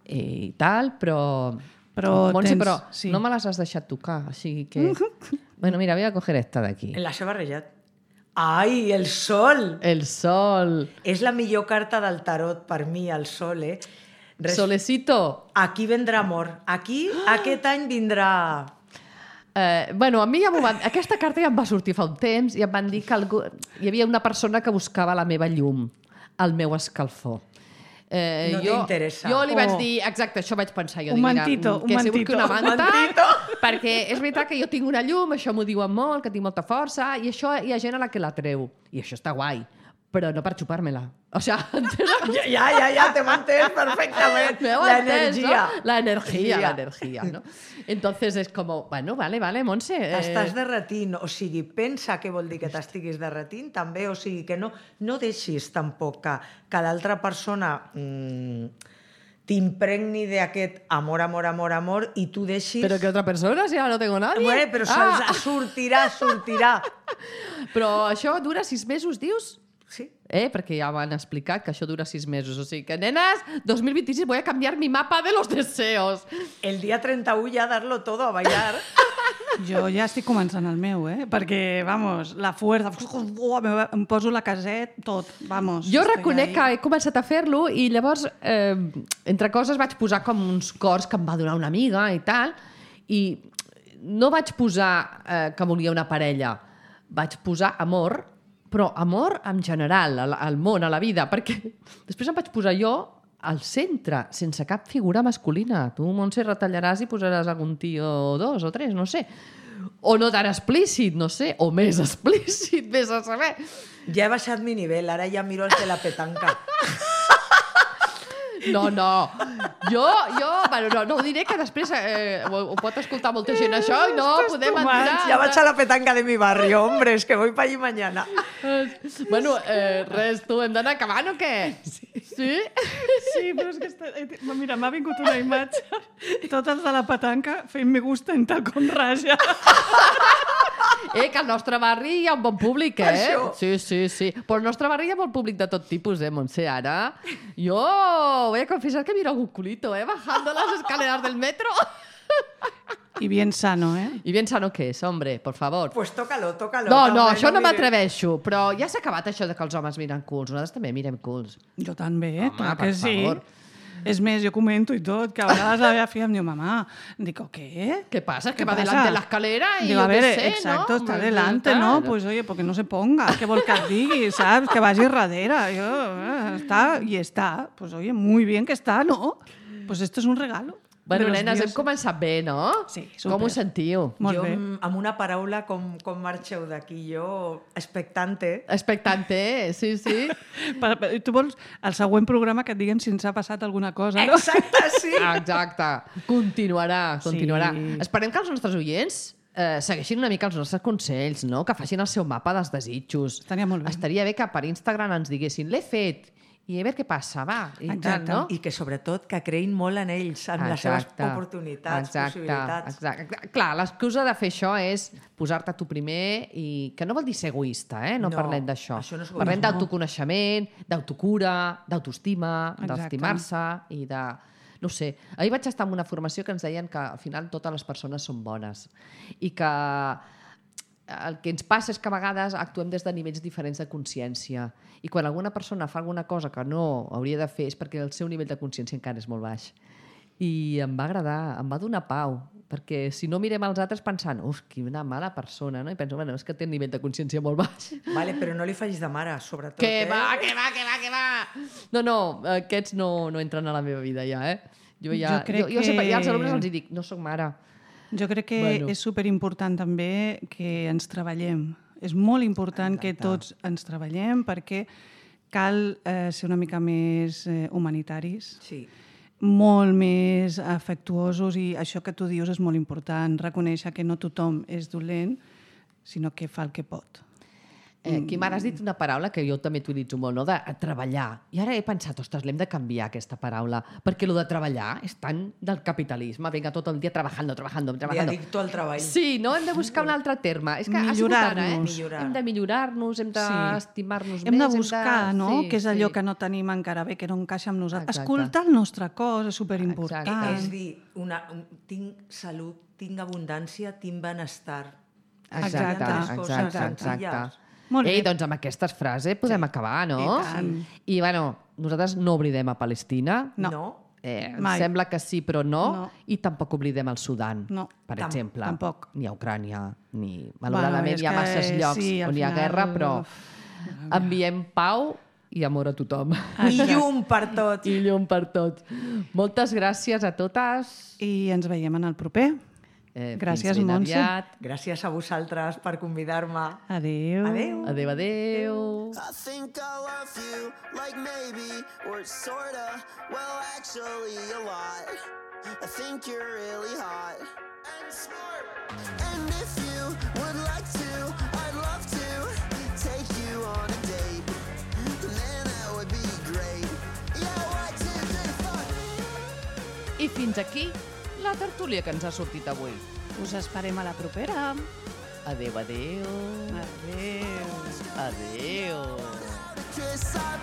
i tal, però... Però Montse, tens- però sí. no me les has deixat tocar, així que... Bueno, mira, voy a coger esta d'aquí. En la seva barrejat. Ai, el sol! El sol. És la millor carta del tarot per mi, el sol, eh? Res- Solecito. Aquí vendrà amor. Aquí, aquest any vindrà... Eh, bueno, a mi ja m'ho van... Aquesta carta ja em va sortir fa un temps i em van dir que algú... hi havia una persona que buscava la meva llum, el meu escalfor. Eh, No jo, t'interessa. Jo li vaig Oh. dir, exacte, això vaig pensar. Jo Un dic, mantito, mira, un que si vull mantito. que una Un manta, mantito. perquè és veritat que jo tinc una llum, això m'ho diuen molt, que tinc molta força, i això hi ha gent a la que la treu. I això està guai, però no per xupar-me-la. O sea, Ja, ja, ja, ja t'hem entès perfectament. ¿Me La entiendes, energia. no? La energia, Sí. la energia, ¿no? Entonces es como, bueno, vale, vale, Montse. eh, T'estàs derretint, o sigui, pensa què vol dir que t'estiguis derretint, també, o sigui, que no, no deixis tampoc que, que l'altra persona mm, t'impregni d'aquest amor, amor, amor, amor, i tu deixis... Pero que otra persona, si ahora no tengo nadie. Bueno, però Ah, ah. sortirà, sortirà. però això dura sis mesos, dius? Sí. Eh, perquè ja m'han explicat que això dura sis mesos. O sigui que, nenes, dos mil vint-i-sis voy a cambiar mi mapa de los deseos. El dia trenta-u ja darlo todo a ballar. Jo ja estic començant el meu, eh? Perquè, vamos, la fuerza... Oh, em poso la caset, tot, vamos. Jo estoy reconec ahí. que he començat a fer-lo i llavors, eh, entre coses, vaig posar com uns cors que em va donar una amiga i tal, i no vaig posar eh, que volia una parella, vaig posar amor, però amor en general, al, al món, a la vida, perquè després em vaig posar jo al centre, sense cap figura masculina. Tu, Montse, retallaràs i posaràs algun tio o dos o tres, no sé. O no tan explícit, no sé, o més explícit, vés a saber. Ja he baixat mi nivell, ara ja miro els de la petanca. No, no. Jo, jo, bueno, no, no ho diré, que després eh, ho, ho pot escoltar molta gent això i no podem entrar. Ja vaig a la petanca de mi barrio, hombre, es que voy para allí mañana. Bueno, eh, res, tu, hem d'anar acabant o què? Sí? Sí? Sí, però és que... Està... Mira, m'ha vingut una imatge. Tots els de la petanca fent me gusta en tal com raja. Eh, que al nostre barri hi ha un bon públic, eh? Això. Sí, sí, sí. Però al nostre barri hi ha molt públic de tot tipus, eh, Montse, ara. Jo voy a confesar que miro algún culito, eh, bajando las escaleras del metro. I bien sano, eh? I bien sano que és, hombre, por favor. Pues tócalo, tócalo. No, no, també això no mires. m'atreveixo, però ja s'ha acabat això de que els homes miren culs. Nosaltres també mirem culs. Jo també, eh? Home, Clar per que sí. favor. És més, jo comento i tot, que a vegades la meva filla em diu, mamá, digo, ¿qué? ¿Qué pasa? Que ¿Qué va pasa? delante de la escalera y Digo, yo a ver, qué sé, exacto, ¿no? está Pues, delante, tal. ¿no? Pues oye, porque no se ponga, què vol que et digui, saps? Que vagi darrere. Jo, eh, està, i està. Pues oye, muy bien que está, ¿no? Pues esto es un regalo. Bueno, de los nenes, hem dioses. començat bé, no? Sí, súper. Com ho sentiu? Molt jo, bé. amb amb una paraula, com, com marxeu d'aquí? Jo, expectante. Expectante, sí, sí. Per, per, tu vols el següent programa que et diguem si ens ha passat alguna cosa, no? Exacte, sí. Exacte. Continuarà, continuarà. Sí. Esperem que els nostres oients eh, segueixin una mica els nostres consells, no? Que facin el seu mapa dels desitjos. Estaria molt bé. Estaria bé que per Instagram ens diguessin l'he fet i a veure què passa, va. I, Exacte. tal, no? I que sobretot que creïn molt en ells, en les seves oportunitats, exacte, possibilitats. Exacte. Clar, l'excusa de fer això és posar-te tu primer i que no vol dir ser egoista, eh? No, No, parlem d'això. això no és egoisme. Parlem d'autoconeixement, d'autocura, d'autoestima, Exacte. d'estimar-se i de... No ho sé. Ahir vaig estar en una formació que ens deien que al final totes les persones són bones i que el que ens passa és que a vegades actuem des de nivells diferents de consciència i quan alguna persona fa alguna cosa que no hauria de fer és perquè el seu nivell de consciència encara és molt baix. I em va agradar, em va donar pau, perquè si no mirem els altres pensant, uf, quina mala persona, no? I penso, bueno, és que té un nivell de consciència molt baix. Vale, però no li facis de mare, sobretot. Que eh? va, que va, que va, que va! No, no, aquests no, no entren a la meva vida ja, eh? Jo, ja, Jo crec jo, jo sempre, que- ja als alumnes els hi dic, no sóc mare. Jo crec que Bueno. bueno. és superimportant també que ens treballem. És molt important Exacte. que tots ens treballem perquè cal eh, ser una mica més eh, humanitaris, Sí. molt més afectuosos i això que tu dius és molt important, reconèixer que no tothom és dolent, sinó que fa el que pot. Eh, Quim, ara has dit una paraula que jo també t'utilitzo molt, no? De a treballar. I ara he pensat, ostres, l'hem de canviar, aquesta paraula, perquè lo de treballar és tan del capitalisme. Vinga, tot el dia trabajando, trabajando, De trabajando. addicto al treball. Sí, no? Hem de buscar un altre terme. És que ha sigut ara, eh? Millorar-nos. Millorar. Hem de millorar-nos, hem Sí. d'estimar-nos Hem més. de buscar, no? Sí, Què és allò sí. que no tenim encara bé, que no encaixa amb nosaltres. Exacte. Escoltar el nostre cos és superimportant. Exacte. És dir, una, un, tinc salut, tinc abundància, tinc benestar. Exacte, Exacte, exacte, exacte. exacte. Molt bé. Ei, doncs amb aquestes frases podem acabar, no? I tant. I, bueno, nosaltres no oblidem a Palestina. No. no? Eh, em Mai. sembla que sí, però no. No. I tampoc oblidem el Sudan, No. per Tam- exemple. tampoc. Ni a Ucrània, ni... Malauradament és hi ha que masses llocs sí, al on hi ha final- guerra, però enviem pau i amor a tothom. I llum per tot. I llum per tot. Moltes gràcies a totes. I ens veiem en el proper. Eh, Gràcies, fins ben Montse. aviat. Gràcies a vosaltres per convidar-me. Adéu. Adéu. Adéu, adéu. I think I love you, like maybe, or sorta, well, actually, a lot. I think you're really hot and smart. And if you would like to, I'd love to take you on a date. Man, that would be great. Yeah, one, two, three, four. I fins aquí la tertúlia que ens ha sortit avui. Us esperem a la propera. Adéu, adéu. Adéu. Adéu. Kiss, I